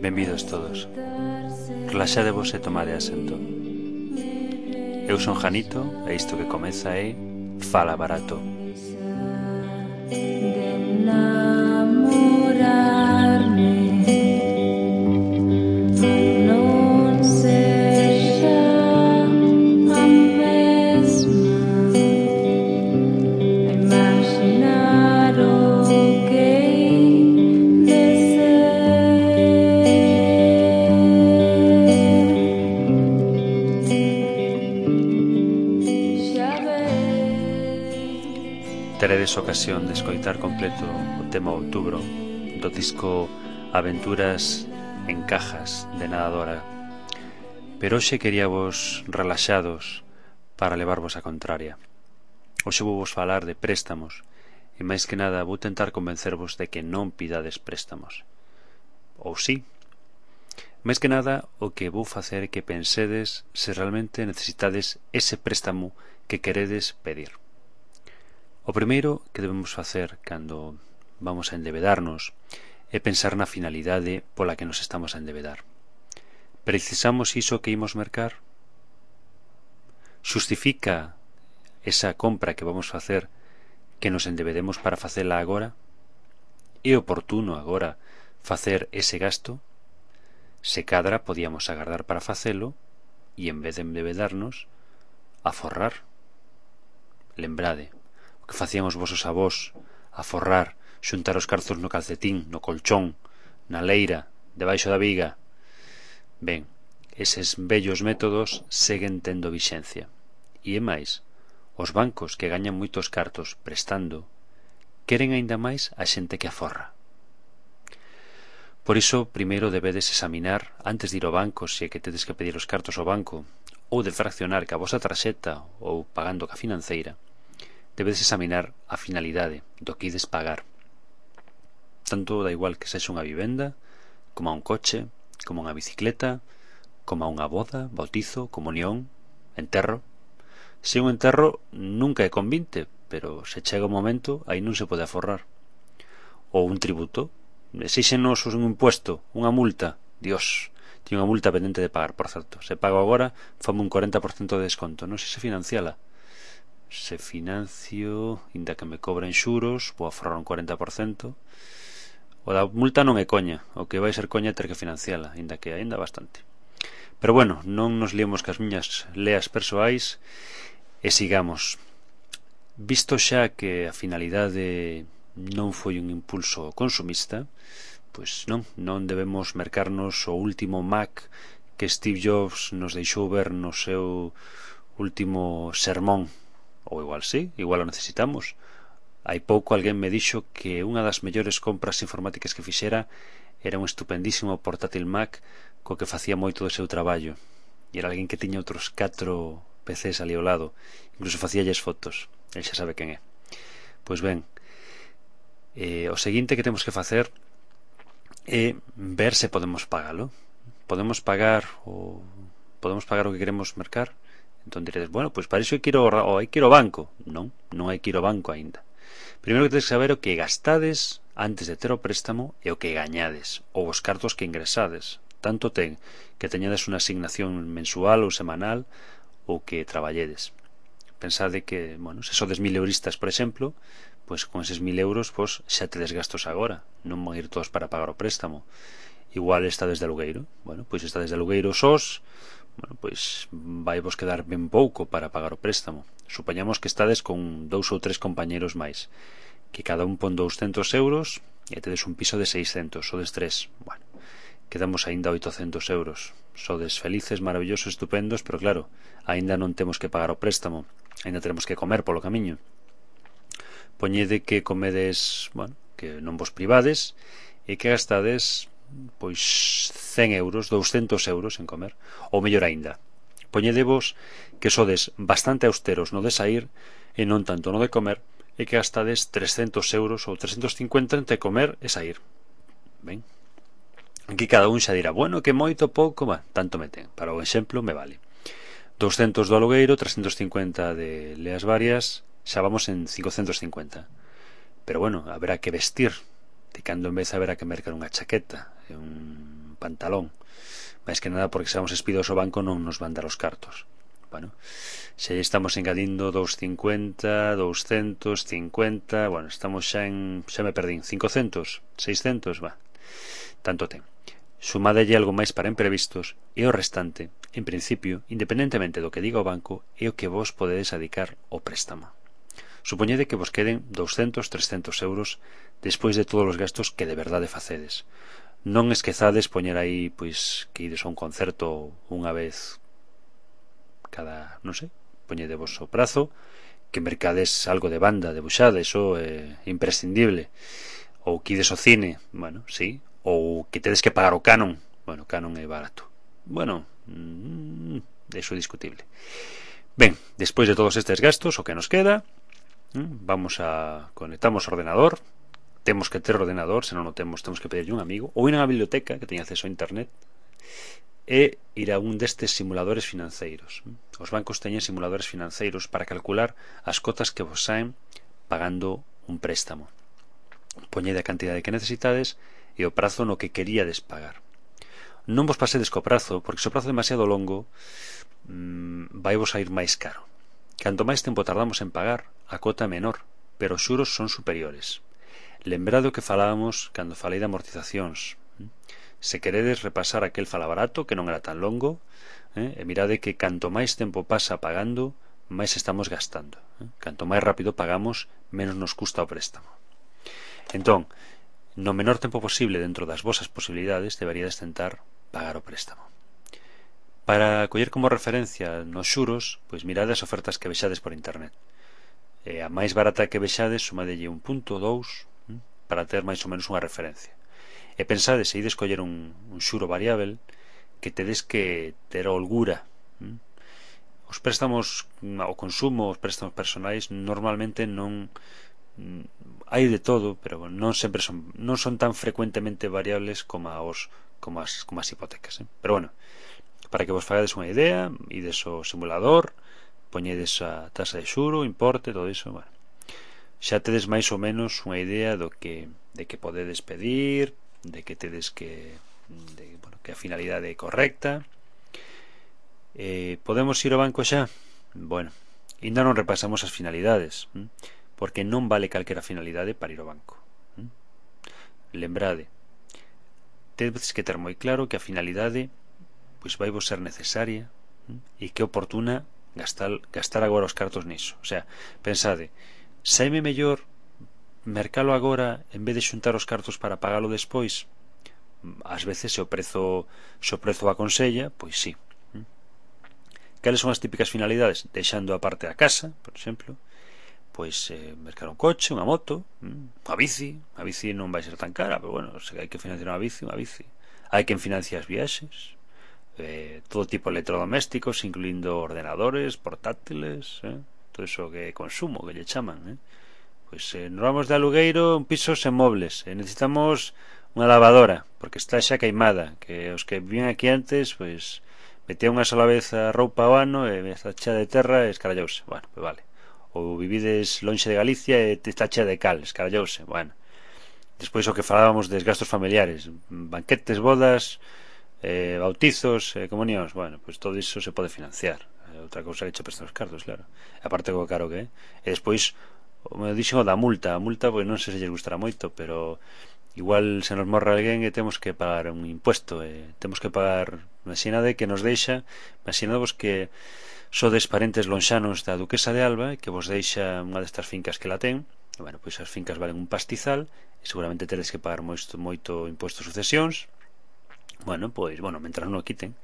Benvidos todos. Relaxadevos e tomade asento. Eu son Janito e isto que comeza é Fala Barato. Teredes ocasión de escoitar completo o tema Outubro do disco Aventuras en Cajas de Nadadora, pero hoxe queríavos relaxados para levarvos a contraria. Hoxe vou vos falar de préstamos e máis que nada vou tentar convencervos de que non pidades préstamos. Ou sí. Máis que nada o que vou facer é que pensedes se realmente necesitades ese préstamo que queredes pedir. O primeiro que debemos facer cando vamos a endebedarnos é pensar na finalidade pola que nos estamos a endebedar. Precisamos iso que imos mercar? Xustifica esa compra que vamos facer que nos endebedemos para facela agora? É oportuno agora facer ese gasto? Se cadra podíamos agardar para facelo e en vez de endebedarnos, aforrar. Lembrade o que facían os vosos avós, aforrar, xuntar os carzos no calcetín, no colchón, na leira, debaixo da viga. Ben, eses vellos métodos seguen tendo vixencia. E é máis, os bancos que gañan moitos cartos prestando queren aínda máis a xente que aforra. Por iso, primeiro debedes examinar, antes de ir ao banco, se é que tedes que pedir os cartos ao banco, ou de fraccionar ca vosa tarxeta ou pagando ca financeira, debedes examinar a finalidade do que ides pagar. Tanto da igual que sexa unha vivenda, como a un coche, como unha bicicleta, como a unha boda, bautizo, comunión, enterro. Se un enterro nunca é con 20, pero se chega o momento, aí non se pode aforrar. Ou un tributo, exíxenos un impuesto, unha multa. Dios, tiene unha multa pendente de pagar, por certo. Se pago agora, fame un 40% de desconto. Non sei se financiala. Se financio, inda que me cobren xuros, vou aforrar un 40%. O da multa non é coña, o que vai ser coña é ter que financiala, inda que aínda bastante. Pero bueno, non nos liemos cas miñas leas persoais e sigamos. Visto xa que a finalidade non foi un impulso consumista, pois non debemos mercarnos o último Mac que Steve Jobs nos deixou ver no seu último sermón. Ou igual sí, igual o necesitamos. Hai pouco alguén me dixo que unha das mellores compras informáticas que fixera era un estupendísimo portátil Mac co que facía moito do seu traballo. E era alguén que tiña outros 4 PCs ali ao lado. Incluso facíalles fotos. El xa sabe quen é. Pois ben, o seguinte que temos que facer é ver se podemos pagalo. Podemos pagar o que queremos mercar? Entón diredes, bueno, pois para iso hai que ir ao banco. Non hai que ir ao banco aínda. Primeiro que tedes que saber o que gastades antes de ter o préstamo e o que gañades, ou os cartos que ingresades. Tanto ten que teñades unha asignación mensual ou semanal ou que traballedes. Pensade que, bueno, se sodes 1000 euristas, por exemplo, pois con eses 1000 euros pois, xa tedes gastos agora. Non van ir todos para pagar o préstamo. Igual estades de alugueiro. Bueno, pois estades de alugueiro sós, bueno, pois vai vos quedar ben pouco para pagar o préstamo. Supoñamos que estades con 2 ou 3 compañeros máis, que cada un pon 200 euros e tedes un piso de 600, sodes 3. Bueno, quedamos aínda 800 euros. Sodes felices, maravillosos, estupendos, pero claro, aínda non temos que pagar o préstamo, aínda teremos que comer polo camiño. Poñede que comedes, bueno, que non vos privades e que gastades pois 100 euros, 200 euros en comer, ou mellor aínda, poñedevos que sodes bastante austeros no de sair e non tanto no de comer e que gastades 300 euros ou 350 entre comer e sair. Ben, aquí cada un xa dirá, bueno, que moito pouco, tanto me ten, para o exemplo me vale. 200 do alugueiro, 350 de leas varias, xa vamos en 550. Pero bueno, haberá que vestir, de cando en vez haberá que mercar unha chaqueta e un pantalón. Máis que nada porque se vamos espidos ao banco non nos van dar os cartos. Bueno, se estamos engadindo 250, 250, bueno, estamos xa me perdín, 500, 600, tanto ten. Sumadelle algo máis para imprevistos e o restante, en principio, independentemente do que diga o banco, é o que vos podedes dedicar ao préstamo. Supoñede que vos queden 200, 300 euros despois de todos os gastos que de verdade facedes. Non esquezades poñer aí pois que ides a un concerto unha vez cada, non sei, poñedevos o prazo, que mercades algo de banda, debuxada, iso é imprescindible. Ou que ides ao cine, bueno, sí, ou que tedes que pagar o canon, bueno, o canon é barato. Bueno, iso é discutible. Ben, despois de todos estes gastos, o que nos queda, vamos a conectamos o ordenador. Temos que ter ordenador, se non o temos que pedirle un amigo, ou ir a unha biblioteca que teña acceso a internet e ir a un destes simuladores financeiros. Os bancos teñen simuladores financeiros para calcular as cotas que vos saen pagando un préstamo. Poñede a cantidade que necesitades e o prazo no que queríades pagar. Non vos pasedes co prazo, porque se o prazo é demasiado longo vai vos a ir máis caro. Canto máis tempo tardamos en pagar, a cota é menor, pero os xuros son superiores. Lembrade o que falábamos cando falei de amortizacións. Se queredes repasar aquel falabarato que non era tan longo, e mirade que canto máis tempo pasa pagando, máis estamos gastando. Canto máis rápido pagamos, menos nos custa o préstamo. Entón, no menor tempo posible dentro das vosas posibilidades deberíades tentar pagar o préstamo. Para coller como referencia nos xuros, pois mirade as ofertas que vexades por internet. A máis barata que vexades, sumadelle 1.2 para ter máis ou menos unha referencia. E pensade, se ides coller un xuro variável, que tedes que ter a holgura. Os préstamos ao consumo, os préstamos personais, normalmente non hai de todo, pero non sempre non son tan frecuentemente variables como as hipotecas. Pero bueno, para que vos fagades unha idea, ides ao simulador, poñedes a tasa de xuro, importe, todo iso, bueno. Xa tedes máis ou menos unha idea de que podedes pedir, de que tedes que a finalidade é correcta. Podemos ir ao banco xa? Bueno, ainda non repasamos as finalidades, porque non vale calquera finalidade para ir ao banco. Lembrade, tedes que ter moi claro que a finalidade pois vai vos ser necesaria e que é oportuna gastar agora os cartos niso. O sea, pensade, saime mellor mercalo agora en vez de xuntar os cartos para pagalo despois? Ás veces se o prezo aconsella, pois sí. Cales son as típicas finalidades? Deixando a parte da casa, por exemplo, pois mercar un coche, unha moto, unha bici. A bici non vai ser tan cara, pero bueno, se hai que financiar unha bici. Hai quen financia as viaxes, todo tipo de electrodomésticos, incluindo ordenadores, portátiles, todo iso que é consumo, que lle chaman, pois nos vamos de alugueiro un piso sen mobles, necesitamos unha lavadora porque está xa queimada, que os que vivían aquí antes pois metían unha sola vez a roupa ao ano e está chea de terra e escarallouse. Bueno, pois vale. Ou vivides lonxe de Galicia e está chea de cal, escarallouse. Bueno, despois o que falábamos dos gastos familiares, banquetes, bodas, bautizos, comunións, bueno, pois todo iso se pode financiar. Outra cousa que che prestan os cartos, claro. Aparte co caro que é. E despois me dixen o da multa. A multa, pois non sei se lles gustará moito, pero igual se nos morre alguén e temos que pagar un impuesto, temos que pagar, imaginade que nos deixa, imaginadevos que sodes parentes lonxanos da duquesa de Alba e que vos deixa unha destas fincas que la ten, e bueno, pois as fincas valen un pastizal e seguramente tedes que pagar moito impuesto de sucesións. Bueno, mentras non o quiten,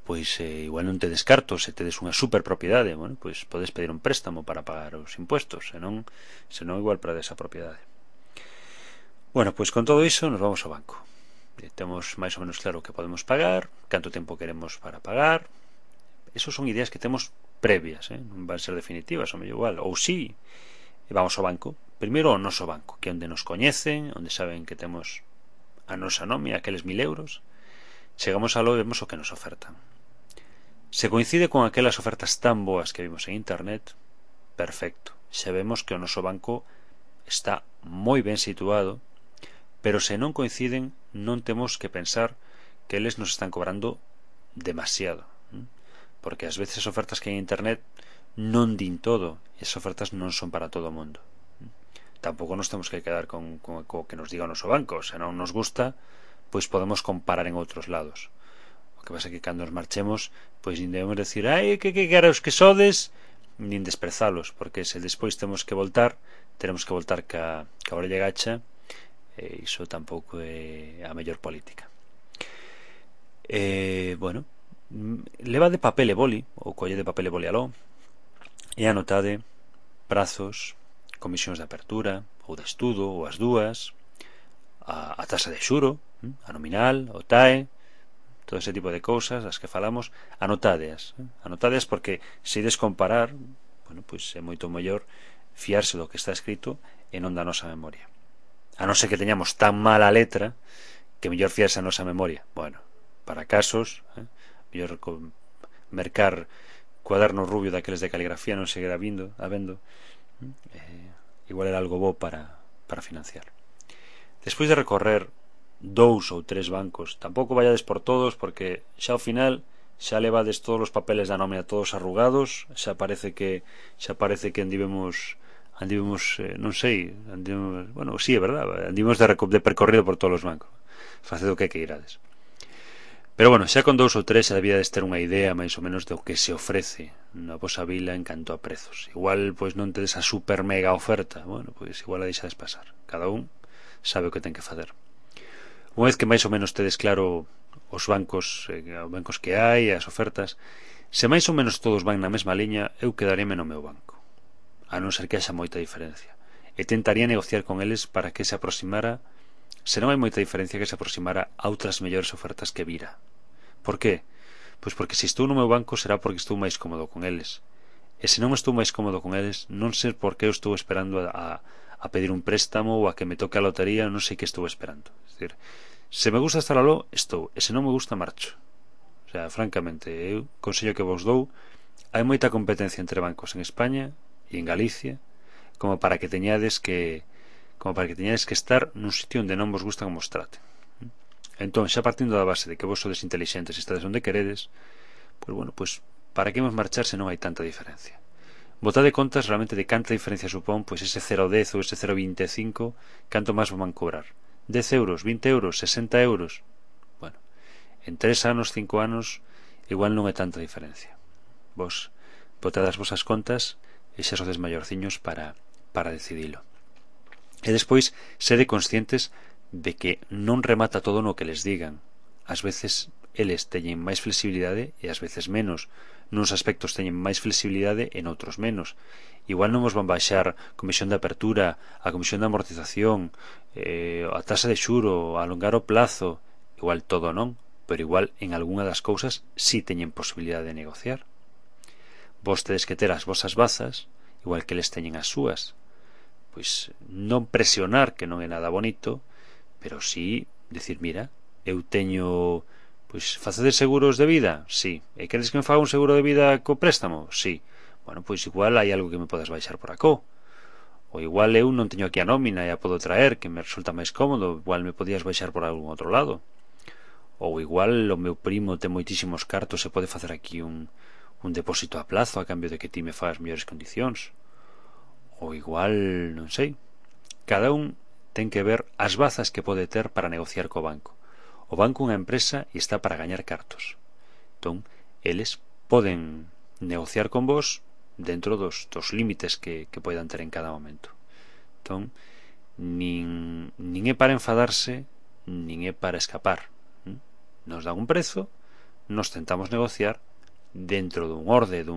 pois igual non tedes cartos, se tedes unha superpropiedade, bueno, pois podes pedir un préstamo para pagar os impuestos, senón igual perdes a propiedade. Bueno, pois con todo iso nos vamos ao banco. Temos máis ou menos claro que podemos pagar, canto tempo queremos para pagar. Esos son ideas que temos previas, non van ser definitivas, ou mellor igual, ou sí, e vamos ao banco. Primeiro ao noso banco, que é onde nos coñecen, onde saben que temos a nosa nome, aqueles 1000 euros. Chegamos aló e vemos o que nos ofertan. Se coincide con aquelas ofertas tan boas que vimos en internet, perfecto. Xa vemos que o noso banco está moi ben situado, pero se non coinciden non temos que pensar que eles nos están cobrando demasiado, porque ás veces as ofertas que hai en internet non din todo, e as ofertas non son para todo o mundo. Tampouco nos temos que quedar con que nos diga o noso banco. Se non nos gusta, pois podemos comparar en outros lados. O que pasa é que cando nos marchemos, pois nin debemos decir que caros que sodes, nin desprezalos, porque se despois temos que voltar ca orella gacha, e iso tampouco é a mellor política. Bueno, leva de papel e boli, ou colle de papel e boli aló, e anotade prazos, comisións de apertura ou de estudo, ou as dúas, a taxa de xuro, a nominal, o TAE, todo ese tipo de cousas das que falamos, anotadeas porque se ides comparar, bueno, pois é moito mellor fiarse do que está escrito e non da nosa memoria, a non ser que teñamos tan mala letra que mellor fiarse a nosa memoria. Bueno, para casos, mellor mercar cuaderno rubio daqueles de caligrafía non seguirá habendo, igual era algo bo para financiar. Despois de recorrer 2 ou 3 bancos, tampouco vayades por todos, porque xa ao final xa levades todos os papeles da nómina todos arrugados, xa parece que andivemos non sei, bueno, sí, é verdad, andivemos de percorrido por todos os bancos, facendo o que irades. Pero bueno, xa con 2 ou 3 xa debíades ter unha idea máis ou menos do que se ofrece na vosa vila en canto a prezos. Igual pois non tedes a super mega oferta, bueno, pois igual a deixades pasar. Cada un sabe o que ten que facer. Unha vez que máis ou menos tedes claro os bancos que hai, as ofertas, se máis ou menos todos van na mesma liña, eu quedaríame no meu banco, a non ser que haxa moita diferencia, e tentaría negociar con eles para que se aproximara, se non hai moita diferencia, que se aproximara a outras mellores ofertas que vira. Por qué? Pois porque se estou no meu banco será porque estou máis cómodo con eles, e se non estou máis cómodo con eles, non sei por que eu estou esperando a pedir un préstamo ou a que me toque a lotería, non sei que estou esperando. É dicir, se me gusta estar aló, estou, e se non me gusta, marcho. O sea, francamente, eu consello que vos dou, hai moita competencia entre bancos en España e en Galicia como para que teñades que estar nun sitio onde non vos gusta como os traten. Entón, xa partindo da base de que vos sodes intelixentes e estades onde queredes, pois bueno, pois para que imos marchar se non hai tanta diferencia? Botade contas realmente de canta diferencia supón pois ese 0,10 ou ese 0,25, canto máis vos van cobrar. 10 euros, 20 euros, 60 euros. Bueno, en 3 anos, 5 anos, igual non é tanta diferencia. Vos botade as vosas contas e xa sodes maiorciños para decidilo. E despois, sede conscientes de que non remata todo no que les digan. Ás veces eles teñen máis flexibilidade e ás veces menos. Nuns aspectos teñen máis flexibilidade e noutros menos. Igual non vos van baixar comisión de apertura, a comisión de amortización, a taxa de xuro, a alongar o plazo. Igual todo non, pero igual en algunha das cousas si teñen posibilidade de negociar. Vos tedes que ter as vosas bazas, igual que eles teñen as súas. Pois non presionar, que non é nada bonito, pero sí decir, mira, eu teño, pois, facedes seguros de vida? Sí. E queres que me faga un seguro de vida co préstamo? Sí. Bueno, pois igual hai algo que me podas baixar por acó. Ou igual eu non teño aquí a nómina e a podo traer, que me resulta máis cómodo, igual me podías baixar por algún outro lado. Ou igual o meu primo ten moitísimos cartos e pode facer aquí un depósito a plazo a cambio de que ti me fagas mellores condicións. Ou igual, non sei, cada un ten que ver as bazas que pode ter para negociar co banco. O banco é unha empresa e está para gañar cartos. Entón, eles poden negociar con vos dentro dos límites que poidan ter en cada momento. Entón, nin é para enfadarse, nin é para escapar. Nos dan un prezo, nos tentamos negociar dentro dun orde, do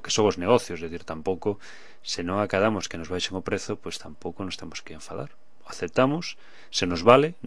que son os negocios, é dicir, tampouco, se non acadamos que nos baixen o prezo, pois tampouco nos temos que enfadar. Aceptamos, se nos vale,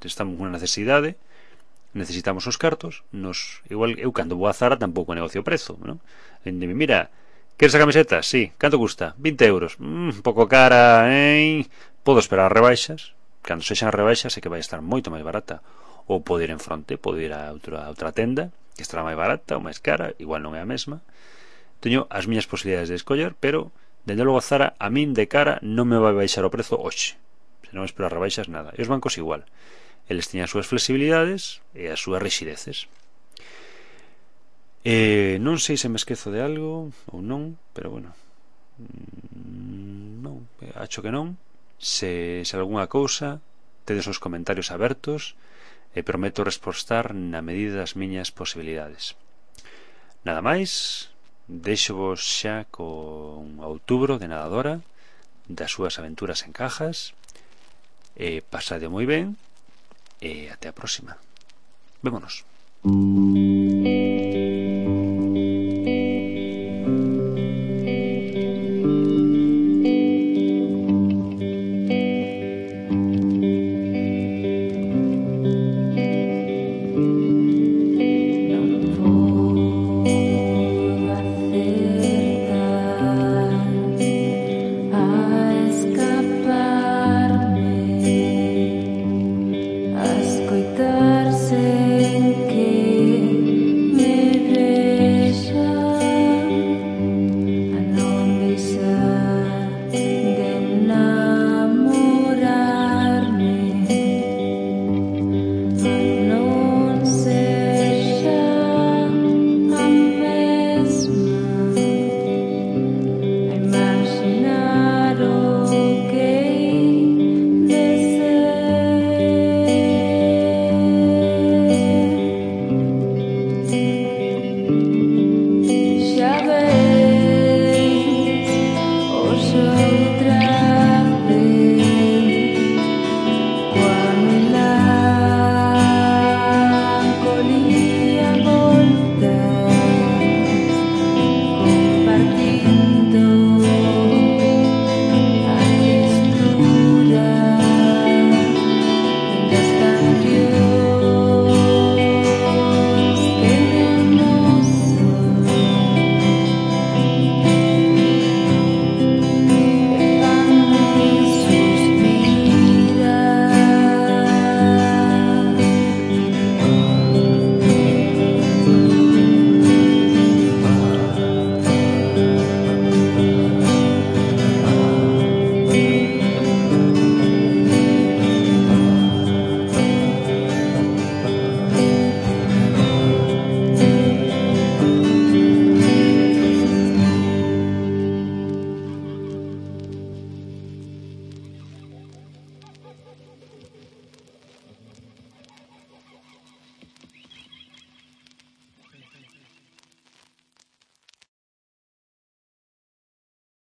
estamos unha necesidade, necesitamos os cartos, igual eu cando vou a Zara tampouco negocio o prezo, non? Dime, mira, queres a camiseta? Sí, canto custa? 20 euros. Un pouco cara, podo esperar as rebaixas, cando sexan as rebaixas sei que vai estar moito máis barata, ou podo ir en fronte, podo ir a outra tenda que estará máis barata ou máis cara, igual non é a mesma. Teño as miñas posibilidades de escoller, pero dende logo Zara a min de cara non me vai baixar o prezo hoxe, se non espero as rebaixas nada. E os bancos igual, Eles teñen as súas flexibilidades e as súas rixideces. Non sei se me esquezo de algo ou non, pero bueno, non, acho que non. Se algunha cousa, tedes os comentarios abertos e prometo respostar na medida das miñas posibilidades. Nada máis, deixo-vos xa con Outubro de Nadadora, das súas aventuras en Cajas. Pasade moi ben e até a próxima. Vémonos. A escaparme,